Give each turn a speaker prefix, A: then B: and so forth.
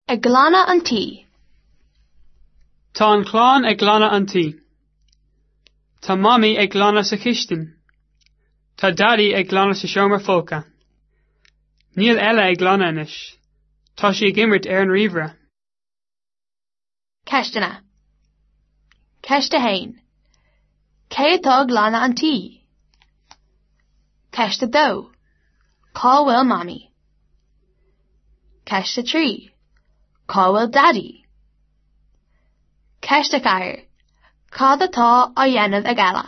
A: Ag glanadh an tí.
B: Tá an chlann ag glanadh an tí. Tá Mamaí ag glanadh sa chistin. Tá Daidí ag glanadh sa seomra folctha. Níl Ella ag glanadh anois. Tá sí ag imirt ar an ríomhaire.
A: Ceisteanna. Ceist 1. Cé atá ag glanadh an tí? Ceist 2. Cá bhfuil Mamaí? Ceist 3. Cá bhfuil Daidí? Ceist 4. Cad atá á dhéanamh ag Ella?